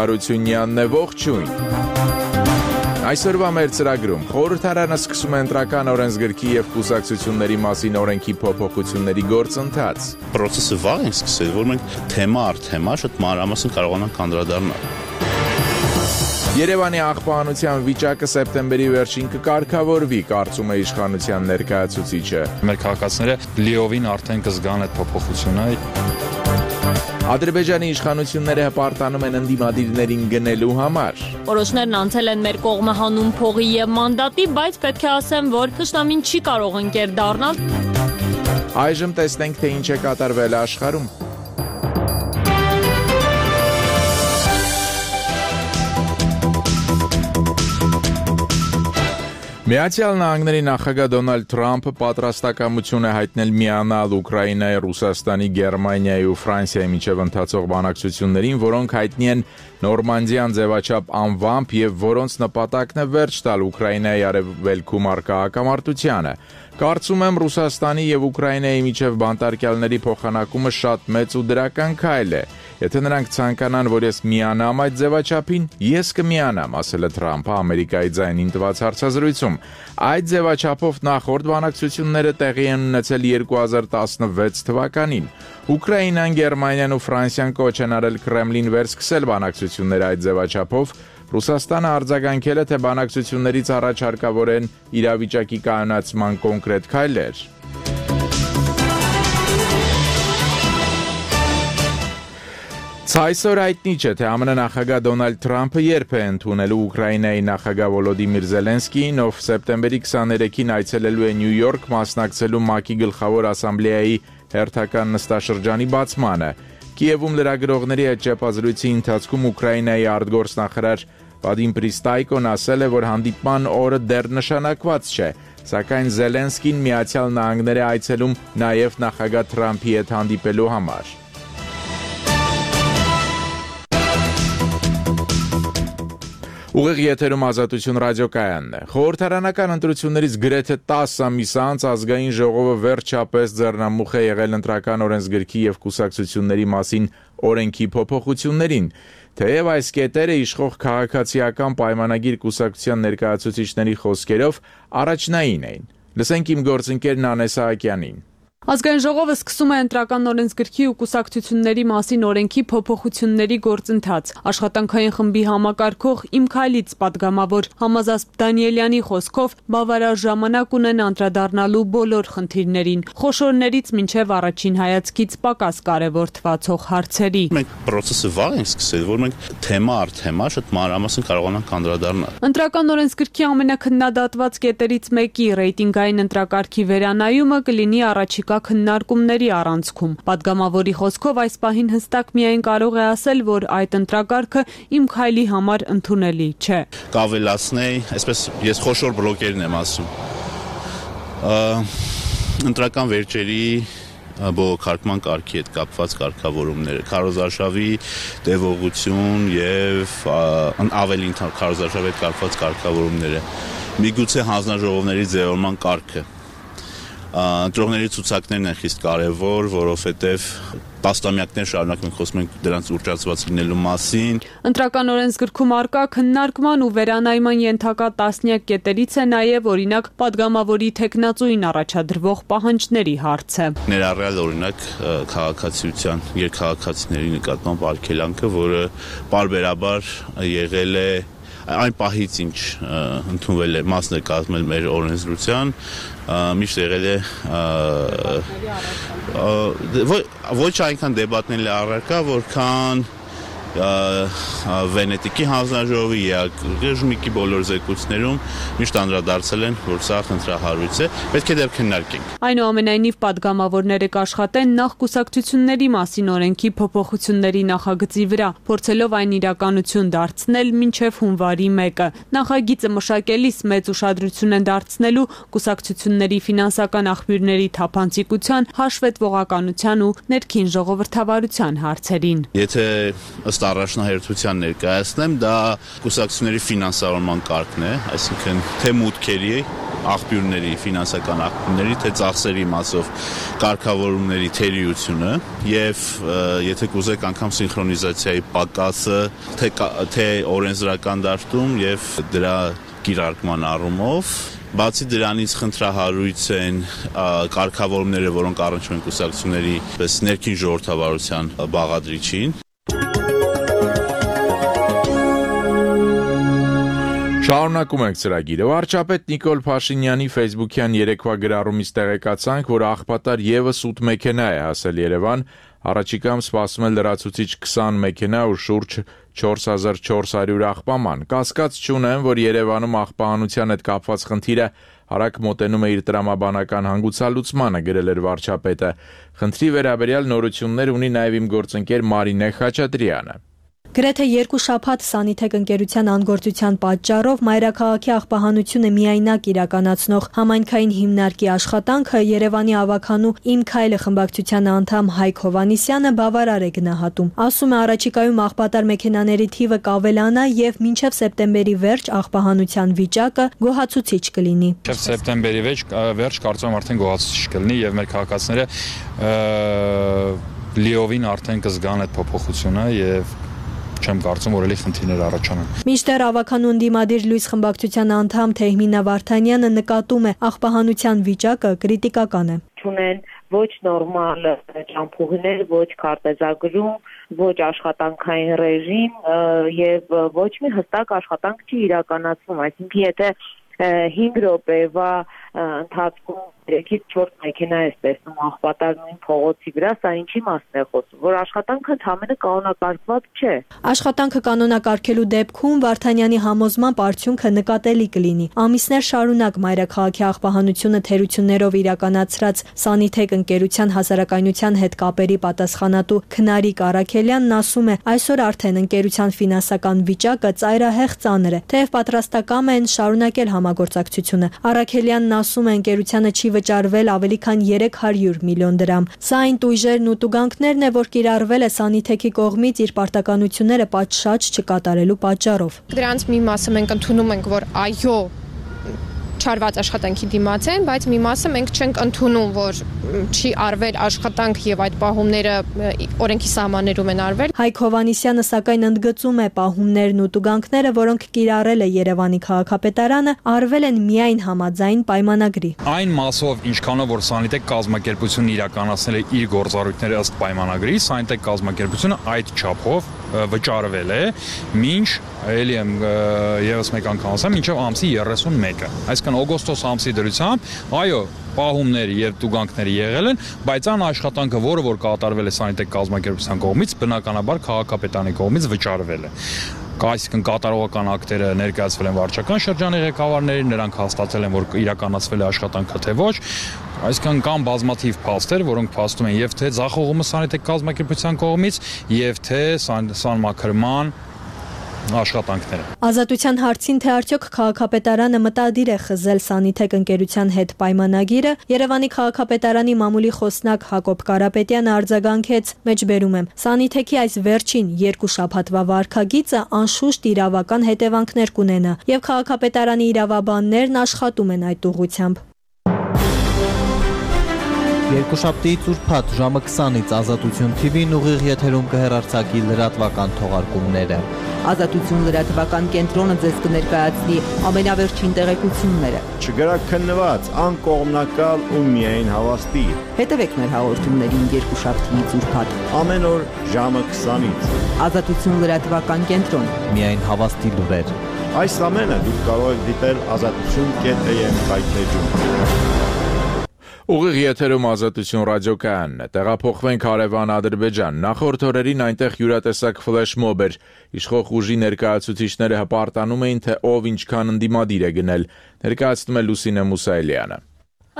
Հարությունյանն է, ողջույն։ Այսօրվա մեր ծրագրում խորհրդարանը սկսում է ընտրական օրենսգրքի և կուսակցությունների մասին օրենքի փոփոխությունների գործընթաց։ Պրոցեսը վաղ ենք սկսել, որ մենք թեմա առ թեմա շատ մանրամասն կարողանանք անդրադառնալ։ Երևանի աղբանության վիճակը սեպտեմբերի վերջին կկարգավորվի, կարծում է իշխանության ներկայացուցիչը։ Մեր քաղաքացիները լիովին արդեն կզգան այդ փոփոխությունը։ Ադրբեջանի իշխանությունները հպարտանում են ընդդիմադիրներին գնելու համար։ Որոշներն անցել են մեր կողմը հանուն փողի և մանդատի, բայց պետք է ասեմ, որ թշնամին չի կարող ընկեր դառնալ։ Այժմ տեսնենք, թե ինչ է կատարվել աշխարհում։ Միացյալ Նահանգների նախագահ Դոնալդ Թրամփը պատրաստակամություն է հայտնել միանալ Ուկրաինայի, Ռուսաստանի, Գերմանիայի ու Ֆրանսիայի միջև ընթացող բանակցություններին, որոնք հայտնի են Նորմանդիան ձևաչափ անվամբ և որոնց նպատակն է վերջ տալ Ուկրաինայի արևելքում առկա հակամարտությանը։ Կարծում եմ, Ռուսաստանի և Ուկրաինայի միջև բանտարկյալների փոխանակումը շատ մեծ ու դրական քայլ է։ Եթե նրանք ցանկանան, որ ես միանամ այդ ձևաչափին, ես կմիանամ, ասել է Թրամփը Ամերիկայի ձայնին տված հարցազրույցում։ Այդ ձևաչափով նախորդ բանակցությունները տեղի են ունեցել 2016 թվականին։ Ուկրաինան, Գերմանիան ու Ֆրանսիան կոչ են արել Կրեմլին վերսկսել բանակցությունները այդ ձևաչափով։ Ռուսաստանը արձագանքել է, թե բանակցություններից առաջ հարկավոր են իրավիճակի կայունացման կոնկրետ քայլեր։ Այսօր հայտնի չէ, թե ԱՄՆ նախագահ Դոնալդ Թրամփը երբ է ընդունելու Ուկրաինայի նախագահ Վոլոդիմիր Զելենսկիին, ով սեպտեմբերի 23-ին այցելելու է Նյու Յորք մասնակցելու ՄԱԿ-ի գլխավոր ասամբլեայի հերթական նստաշրջանի բացմանը։ Կիևում լրագրողների հետ ճեպազրույցի ընթացքում Ուկրաինայի արտգործնախարար Վադիմ Պրիստայկոն ասել է, որ հանդիպման օրը դեռ նշանակված չէ, սակայն Զելենսկին Միացյալ Նահանգներ է այցելում նաև նախագահ Թրամփի հետ հանդիպելու համար։ Ուղիղ եթերում Ազատություն ռադիոկայանն է։ Խորհրդարանական ընտրություններից գրեթե 10 ամիս անց ազգային ժողովը վերջապես ձեռնամուխ է եղել ընտրական օրենսգրքի և կուսակցությունների մասին օրենքի փոփոխություններին։ Թեև այս կետերը իշխող քաղաքացիական պայմանագիր կուսակցության ներկայացուցիչների խոսքերով առաջնային էին։ Լսենք իմ գործընկեր Նանե Սահակյանին։ Ազգային ժողովը սկսում է ընտրական օրենսգրքի ու կուսակցությունների մասին օրենքի փոփոխությունների գործընթաց։ Աշխատանքային խմբի համակարգող Իմ քայլից պատգամավոր Համազասպ Դանիելյանի խոսքով բավարար ժամանակ ունեն անդրադառնալու բոլոր խնդիրներին, խոշորներից մինչև առաջին հայացքից պակաս կարևորթվացող հարցերի։ Մենք պրոցեսը վաղ ենք սկսել, որ մենք թեմա առ թեմա շատ մանրամասն կարողանանք անդրադառնալ։ Ընտրական օրենսգրքի ամենաքննադատված կետերից մեկի ռեյտինգային ընտրակարգի վերանայումը կլինի առաջիկա քննարկումների առանցքում։ Պատգամավորի խոսքով այս պահին հստակ միայն կարող է ասել, որ այդ ընտրակարգը Իմ քայլի համար ընդունելի չէ։ Կավելացնեի, այսպես ես խոշոր բլոկերն եմ ասում։ Ընտրական վերջերի բողոքարկման կարգի հետ կապված կարգավորումները, քարոզարշավի տևողություն և ավելին քարոզարշավի հետ կապված կարգավորումները, միգուցե հանձնաժողովների ձևավորման կարգը։ Ընտրողների ցուցակներն են խիստ կարևոր, որովհետև տասնամյակներ շարունակ մենք խոսում ենք դրանց ուռճացված լինելու մասին։ Ընտրական օրենսգրքում առկա քննարկման ու վերանայման ենթակա տասնյակ կետերից է նաև օրինակ պատգամավորի թեկնածուին առաջադրվող պահանջների հարցը։ Ներառյալ օրինակ քաղաքացիության երկքաղաքացիների նկատմամբ արգելանքը, որը պարբերաբար եղել է այն պահից, ինչ ընդունվել է մասն է կազմել մեր օրենսդրության, միշտ եղել է ոչ այնքան դեբատների առարկա, որքան Վենետիկի հանձնաժողովի Ժմիկի բոլոր զեկույցներում միշտ անդրադարձել են, որ սա խնդրահարույց է, պետք է դեռ քննարկենք։ Այնուամենայնիվ պատգամավորները կաշխատեն նախ կուսակցությունների մասին օրենքի փոփոխությունների նախագծի վրա, փորձելով այն իրականություն դարձնել մինչև հունվարի 1-ը։ Նախագիծը մշակելիս մեծ ուշադրություն են դարձնելու կուսակցությունների ֆինանսական աղբյուրների թափանցիկության, հաշվետվողականության ու ներքին ժողովրդավարության հարցերին։ Եթե ըստ առաջնահերթության ներկայացնեմ, դա կուսակցությունների ֆինանսավորման կարգն է, այսինքն թե մուտքերի աղբյուրների, ֆինանսական աղբյուրների, թե ծախսերի մասով կարգավորումների թերիությունը եւ եթե կուզեք անգամ սինխրոնիզացիայի պակասը թե օրենսդրական դաշտում եւ դրա կիրարկման առումով Բացի դրանից խնդրահարույց են կարգավորումները, որոնք առնչվում են կուսակցությունների ներքին ժողովրդավարության բաղադրիչին։ Շարունակում ենք ծրագիրը։ Վարչապետ Նիկոլ Փաշինյանի Facebook-յան երեկվա գրառումից տեղեկացանք, որ աղբատար եւս 8 մեքենա է հասել Երևան։ Առաջիկայում սպասում է լրացուցիչ 20 մեքենա ու շուրջ 4400 աղբաման։ Կասկած չունեմ, որ Երևանում աղբահանության հետ կապված խնդիրը արագ մոտենում է իր տրամաբանական հանգուցալուծմանը, գրել էր վարչապետը։ Խնդրի վերաբերյալ նորություններ ունի նաև իմ գործընկեր Մարինե Խաչատրյանը։ Գրեթե 2 շաբաթ Սանիթեկ ընկերության անգործության պատճառով մայրաքաղաքի աղբահանությունը միայնակ իրականացնող համայնքային հիմնարկի աշխատանքը Երևանի ավագանու Իմ քայլը խմբակցության անդամ Հայկ Հովհաննիսյանը բավարար է գնահատում։ Ասում է, առաջիկայում աղբատար մեքենաների թիվը կավելանա եւ մինչեւ սեպտեմբերի վերջ աղբահանության վիճակը գոհացուցիչ կլինի։ Մինչեւ սեպտեմբերի վերջ կարծում եմ արդեն գոհացուցիչ կլինի եւ մեր քաղաքացիները լիովին արդեն կզգան այդ փոփոխությունը եւ չեմ կարծում, որ էլի խնդիրներ առաջանան։ Մինչդեռ ավագանու ընդդիմադիր լույս խմբակցության անդամ Թեհմինա Վարդանյանը նկատում է, աղբահանության վիճակը կրիտիկական է։ Չունեն ոչ նորմալ ճամփուղիներ, ոչ քարտեզագրում, ոչ աշխատանքային ռեժիմ եւ ոչ մի հստակ աշխատանք չի իրականացվում, այսինքն եթե 5 րոպեվա ընթացքում 3-ից 4 մեքենա է տեսնում աղբատար նույն փողոցի վրա, սա ինչի մասն է խոսում, որ աշխատանքը ընդհանրապես կանոնակարգված չէ։ Աշխատանքը կանոնակարգելու դեպքում Վարդանյանի համոզմամբ արդյունքը նկատելի կլինի։ Ամիսներ շարունակ մայրաքաղաքի աղբահանությունը թերություններով իրականացրած Սանիթեկ ընկերության հասարակայնության հետ կապերի պատասխանատու Քնարիկ Արաքելյանն ասում է, այսօր արդեն ընկերության ֆինանսական վիճակը ծայրահեղ ծանր է, թեև պատրաստակամ են շարունակել համագործակցությունը։ Արաքելյանն ասում է, ընկերությանը չի վճարվել ավելի քան 300 միլիոն դրամ։ Սա այն տույժերն ու տուգանքներն է, որ կիրառվել է Սանիթեքի կողմից իր պարտականությունները պատշաճ չկատարելու պատճառով։ Դրանց մի մասը մենք ընդունում ենք, որ այո, չարված աշխատանքի դիմաց են, բայց մի մասը մենք չենք ընդունում, որ չի արվել աշխատանք եւ այդ պահումները օրենքի սահմաններում են արվել։ Հայկ Հովհաննիսյանը սակայն ընդգծում է, պահումներն ու տուգանքները, որոնք կիրառել է Երևանի քաղաքապետարանը, արվել են միայն համաձայն պայմանագրի։ Այն մասով, ինչքանով որ Սանիթեկ կազմակերպությունը իրականացնել է իր գործառույթները ըստ պայմանագրի, Սանիթեկ կազմակերպությունը այդ չափով վճարվել է, մինչ ելի եմ եւս մեկ անգամ ասեմ, մինչև ամսի 31-ը։ Այսինքն օգոստոս ամսի դրությամբ, այո, պահումներ եւ տուգանքներ եղել են, բայց այն աշխատանքը, որը որ կատարվել է Սանիթեկ կազմակերպության կողմից, բնականաբար քաղաքապետարանի կողմից վճարվել է։ Այսինքն կատարողական ակտերը ներկայացվել են վարչական շրջանի ղեկավարներին, նրանք հաստատել են, որ իրականացվել է աշխատանքը թե ոչ։ Այսինքն կան բազմաթիվ փաստեր, որոնք փաստում են եւ թե ձախողումը Սանիթեկ կազմակերպության կողմից, եւ թե սանմաքրման աշխատանքները։ Ազատության հարցին, թե արդյոք քաղաքապետարանը մտադիր է խզել Սանիթեկ ընկերության հետ պայմանագիրը, Երևանի քաղաքապետարանի մամուլի խոսնակ Հակոբ Կարապետյանը արձագանքեց, մեջբերում եմ, Սանիթեքի այս վերջին 2 շաբաթվա վարքագիծը անշուշտ իրավական հետևանքներ կունենա, եւ քաղաքապետարանի իրավաբաններն աշխատում են այդ ուղղությամբ։ Երկուշաբթիից ուրբաթ ժամը 20-ից Ազատություն TV-ն ուղիղ եթերում կհեռարձակի լրատվական թողարկումները։ Ազատություն լրատվական կենտրոնը ձեզ կներկայացնի ամենավերջին տեղեկությունները։ Չգրաքննված, անկողմնակալ ու միայն հավաստի։ Հետևեք մեր հաղորդումներին երկուշաբթիից ուրբաթ ամեն օր ժամը 20-ից։ Ազատություն լրատվական կենտրոն։ Միայն հավաստի լուրեր։ Այս ամենը դուք կարող եք դիտել azatutun.am կայքեջում։ Ուղիղ եթերում Ազատություն ռադիոկայանն է, տեղափոխվենք հարևան Ադրբեջան, նախորդ օրերին այնտեղ յուրատեսակ ֆլեշմոբ էր, իշխող ուժի ներկայացուցիչները հպարտանում էին, թե ով ինչքան ընդդիմադիր է գնել, ներկայացնում է Լուսինե Մուսայելյանը։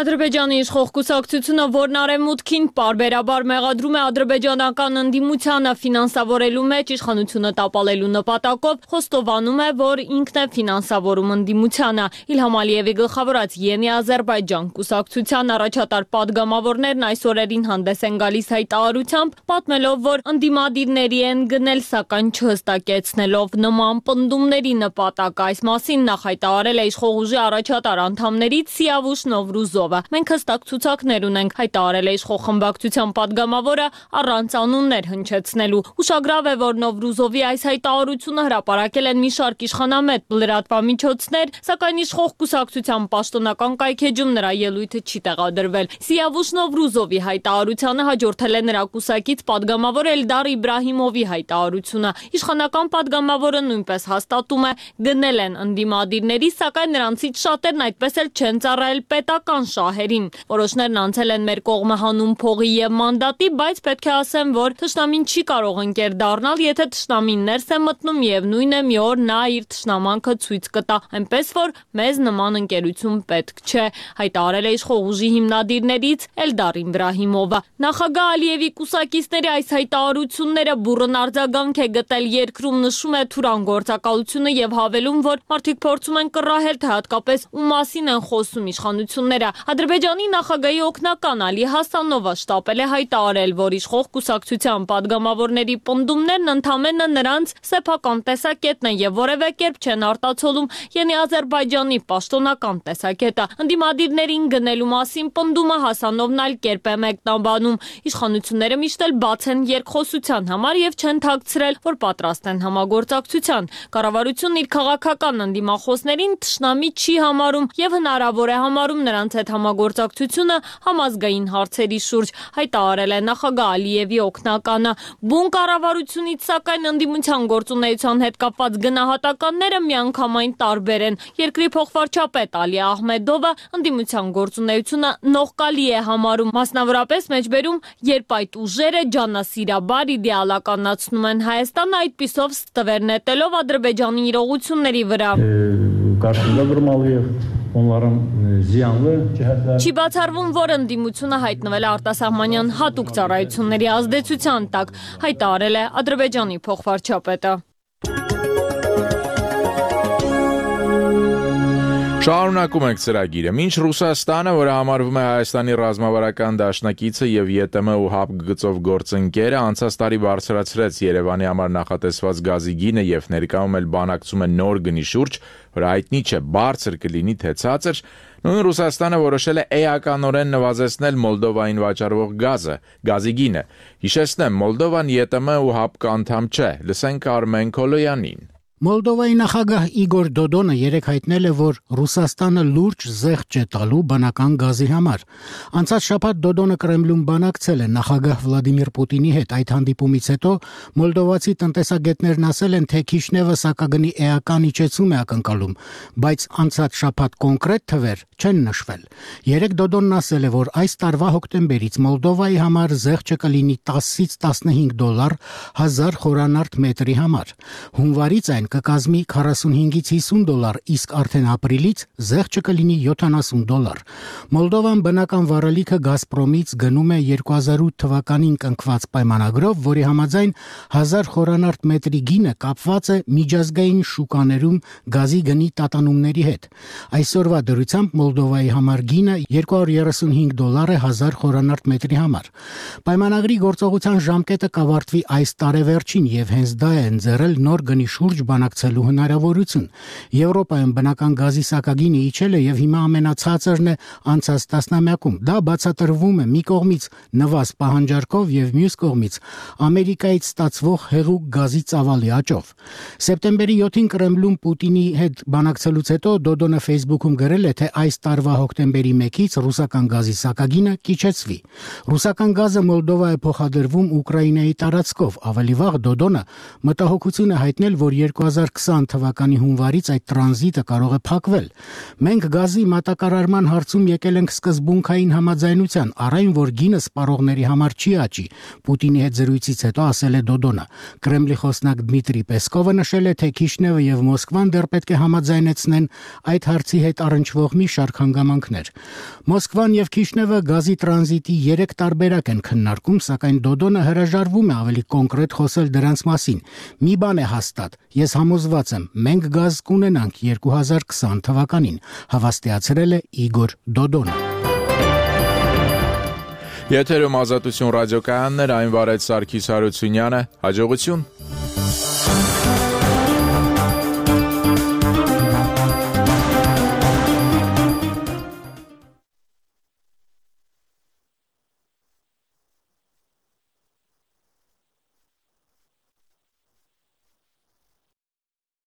Ադրբեջանի իշխող կուսակցությունը, որն արևմուտքին պարբերաբար մեղադրում է ադրբեջանական ընդդիմությանը ֆինանսավորելու մեջ իշխանությունը տապալելու նպատակով, խոստովանում է, որ ինքն է ֆինանսավորում ընդդիմությանը։ Իլհամ Ալիևի գլխավորած Յենի Ադրբեջան կուսակցության առաջատար պատգամավորներն այս օրերին հանդես են գալիս հայտարարությամբ, պատմելով, որ ընդդիմադիրների են գնել, սակայն չհստակեցնելով նման պնդումների նպատակ։ Այս մասին նախ հայտարարել է իշխող ուժի առաջատար անդամներից Սիավուշ Նովրուզովը։ Մենք հստակ ցուցակներ ունենք, հայտարարել է իշխող խմբակցության պատգամավորը առանց անուններ հնչեցնելու։ Ուշագրավ է, որ Նովրուզովի այս հայտարարությունը հրապարակել են մի շարք իշխանամետ լրատվամիջոցներ, սակայն իշխող կուսակցության պաշտոնական կայքեջում նրա ելույթը չի տեղադրվել։ Սիավուշ Նովրուզովի հայտարարությանը հաջորդել է նրա կուսակից պատգամավոր Էլդար Իբրահիմովի հայտարարությունը։ Իշխանական պատգամավորը նույնպես հաստատում է, գնել են ընդդիմադիրների, սակայն նրանցից շատերն այդպես էլ չեն ծառայել պետական շահերին։ Որոշներն անցել են մեր կողմը հանուն փողի եւ մանդատի, բայց պետք է ասեմ, որ թշնամին չի կարող ընկեր դառնալ, եթե թշնամին ներս է մտնում եւ նույն է մի օր նա իր թշնամանքը ցույց կտա, այնպես որ մեզ նման ընկերություն պետք չէ, հայտարարել է իշխող ուժի հիմնադիրներից Էլդար Իբրահիմովը։ Նախագահ Ալիևի կուսակիցների այս հայտարարությունները բուռն արձագանք է գտել երկրում, նշում է Թուրան գործակալությունը եւ հավելում, որ մարդիկ փորձում են կռահել, թե հատկապես ում մասին են խոսում իշխանությունները։ Ադրբեջանի նախագահի օգնական Ալի Հասանովը շտապել է հայտարարել, որ իշխող կուսակցության պատգամավորների պնդումներն ընդամենը նրանց սեփական տեսակետն են եւ որևէ կերպ չեն արտացոլում Յենի Ադրբեջանի պաշտոնական տեսակետը։ Ընդդիմադիրներին գնելու մասին պնդումը Հասանովն այլ կերպ է մեկնաբանում։ Իշխանությունները միշտ էլ բաց են երկխոսության համար եւ չեն թաքցրել, որ պատրաստ են համագործակցության։ Կառավարությունն իր քաղաքական ընդդիմախոսներին թշնամի չի համարում եւ հնարավոր է համարում նրանց հետ համագործակցությունը համազգային հարցերի շուրջ, հայտարարել է նախագահ Ալիևի օգնականը։ Բուն կառավարությունից սակայն ընդդիմության գործունեության հետ կապված գնահատականները միանգամայն տարբեր են։ Երկրի փոխվարչապետ Ալի Ահմեդովը ընդդիմության գործունեությունը նողկալի է համարում, մասնավորապես մեջբերում, երբ այդ ուժերը ջանասիրաբար իդեալականացնում են Հայաստանը, այդպիսով ստվեր նետելով Ադրբեջանի իրողությունների վրա։ Չի բացառվում, որ ընդդիմությունը հայտնվել է արտասահմանյան հատուկ ծառայությունների ազդեցության տակ, հայտարարել է Ադրբեջանի փոխվարչապետը։ Շարունակում ենք ծրագիրը։ Մինչ Ռուսաստանը, որը համարվում է Հայաստանի ռազմավարական դաշնակիցը եւ ԵՏՄ ու ՀԱՊԿ գծով գործընկերը, անցած տարի բարձրացրեց Երևանի համար նախատեսված գազի գինը եւ ներկայում էլ բանակցում է նոր գնի շուրջ, որը հայտնի չէ բարձր կլինի թե ցածր, նույն Ռուսաստանը որոշել է էականորեն նվազեցնել Մոլդովային վաճառվող գազի գինը։ Հիշեցնեմ, Մոլդովան ԵՏՄ ու ՀԱՊԿ անդամ չէ։ Լսենք Արմեն Քոլոյանին։ Մոլդովայի նախագահ Իգոր Դոդոնը երեկ հայտնել է, որ Ռուսաստանը լուրջ զեղչ է տալու բնական գազի համար։ Անցած շաբաթ Դոդոնը Կրեմլում բանակցել է նախագահ Վլադիմիր Պուտինի հետ։ Այդ հանդիպումից հետո մոլդովացի տնտեսագետներն ասել են, թե Քիշնևը սակագնի էական իջեցում է ակնկալում, բայց անցած շաբաթ կոնկրետ թվեր չեն նշվել։ Երեկ Դոդոնն ասել է, որ այս տարվա հոկտեմբերից Մոլդովայի համար զեղչը կլինի 10-ից 15 դոլար 1000 խորանարդ մետրի համար։ Հունվարից այն կկազմի 45-ից 50 դոլար, իսկ արդեն ապրիլից զեղչը կլինի 70 դոլար։ Մոլդովան բնական վառելիքը Գազպրոմից գնում է 2008 թվականին կնքված պայմանագրով, որի համաձայն 1000 խորանարդ մետրի գինը կապված է միջազգային շուկաներում գազի գնի տատանումների հետ։ Այսօրվա դրությամբ Մոլդովայի համար գինը 235 դոլար է 1000 խորանարդ մետրի համար։ Պայմանագրի գործողության ժամկետը կավարտվի այս տարեվերջին եւ հենց դա է ընձեռել նոր գնի շուրջ բանակցելու հնարավորություն։ Եվրոպայում բնական գազի սակագինը իջել է եւ հիմա ամենացածրն է անցած տասնամյակում։ Դա բացատրվում է մի կողմից նվազ պահանջարկով եւ մյուս կողմից Ամերիկայից ստացվող հեղուկ գազի ծավալի աճով։ Սեպտեմբերի 7-ին Կրեմլում Պուտինի հետ բանակցելուց հետո Դոդոնը Facebook-ում գրել է, թե այս տարվա հոկտեմբերի 1-ից ռուսական գազի սակագինը կիջեցվի։ Ռուսական գազը Մոլդովա է փոխադրվում Ուկրաինայի տարածքով։ Ավելի վաղ Դոդոնը մտահոգություն է հայտնել, որ 2020 թվականի հունվարից այդ տրանզիտը կարող է փակվել։ Մենք գազի մատակարարման հարցում եկել ենք սկզբունքային համաձայնության, առայն որ գինը սպառողների համար չի աճի, Պուտինի հետ զրույցից հետո ասել է Դոդոնը։ Կրեմլի խոսնակ Դմիտրի Պեսկովը նշել է, թե Քիշնևը եւ Մոսկվան դեռ պետք է համաձայնեցնեն այդ հարցի հետ առնչվող մի շարք հանգամանքներ։ Մոսկվան եւ Քիշնևը գազի տրանզիտի 3 տարբերակ են քննարկում, սակայն Դոդոնը հրաժարվում է ավելի կոնկրետ խոսել դրանց մասին։ Մի բան է հաստատ, ես համոզված եմ, մենք գազ կունենանք 2020 թվականին, հավաստիացրել է Իգոր Դոդոնը։ Եթերում Ազատություն ռադիոկայաններ, այն վարեց Սարգիս Հարությունյանը, հաջողություն։